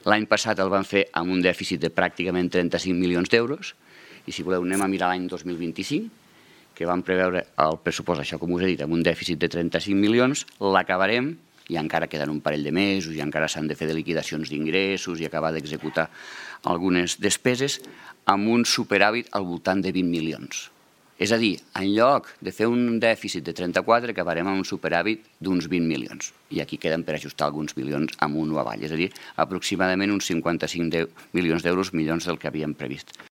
L'any passat el van fer amb un dèficit de pràcticament 35 milions d'euros, i si voleu anem a mirar l'any 2025, que vam preveure el pressupost, això com us he dit, amb un dèficit de 35 milions, l'acabarem, i encara queden un parell de mesos, i encara s'han de fer de liquidacions d'ingressos i acabar d'executar algunes despeses, amb un superàvit al voltant de 20 milions. És a dir, en lloc de fer un dèficit de 34, acabarem amb un superàvit d'uns 20 milions. I aquí queden per ajustar alguns milions amunt o avall, és a dir, aproximadament uns 55 milions d'euros millors del que havíem previst.